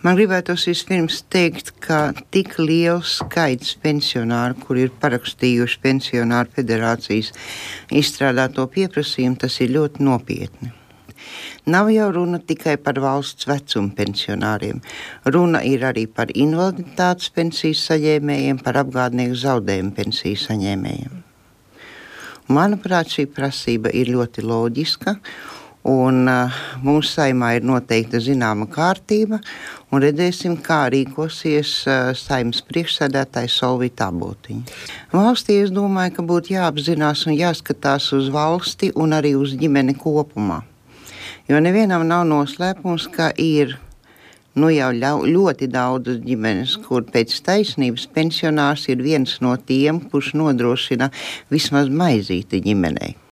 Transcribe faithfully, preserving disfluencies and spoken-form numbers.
Man gribētos vispirms teikt, ka tik liels skaits pensionāru, kur ir parakstījuši Pensionāru federācijas izstrādāto pieprasījumu, tas ir ļoti nopietni. Nav jau runa tikai par valsts vecuma pensionāriem. Runa ir arī par invaliditātes pensijas saņēmējiem, par apgādnieku zaudējumu pensiju saņēmējiem. Manuprāt, šī prasība ir ļoti loģiska. Un uh, mūsu saimā ir noteikta zināma kārtība, un redzēsim, kā rīkosies uh, saimas priekšsēdētājs Solvita Abotiņa. Valstī es domāju, ka būtu jāapzinās un jāskatās uz valsti un arī uz ģimeni kopumā. Jo nevienam nav noslēpums, ka ir nu jau ļoti daudz ģimenes, kur pēc taisnības pensionārs ir viens no tiem, kurš nodrošina vismaz maizīti ģimenei.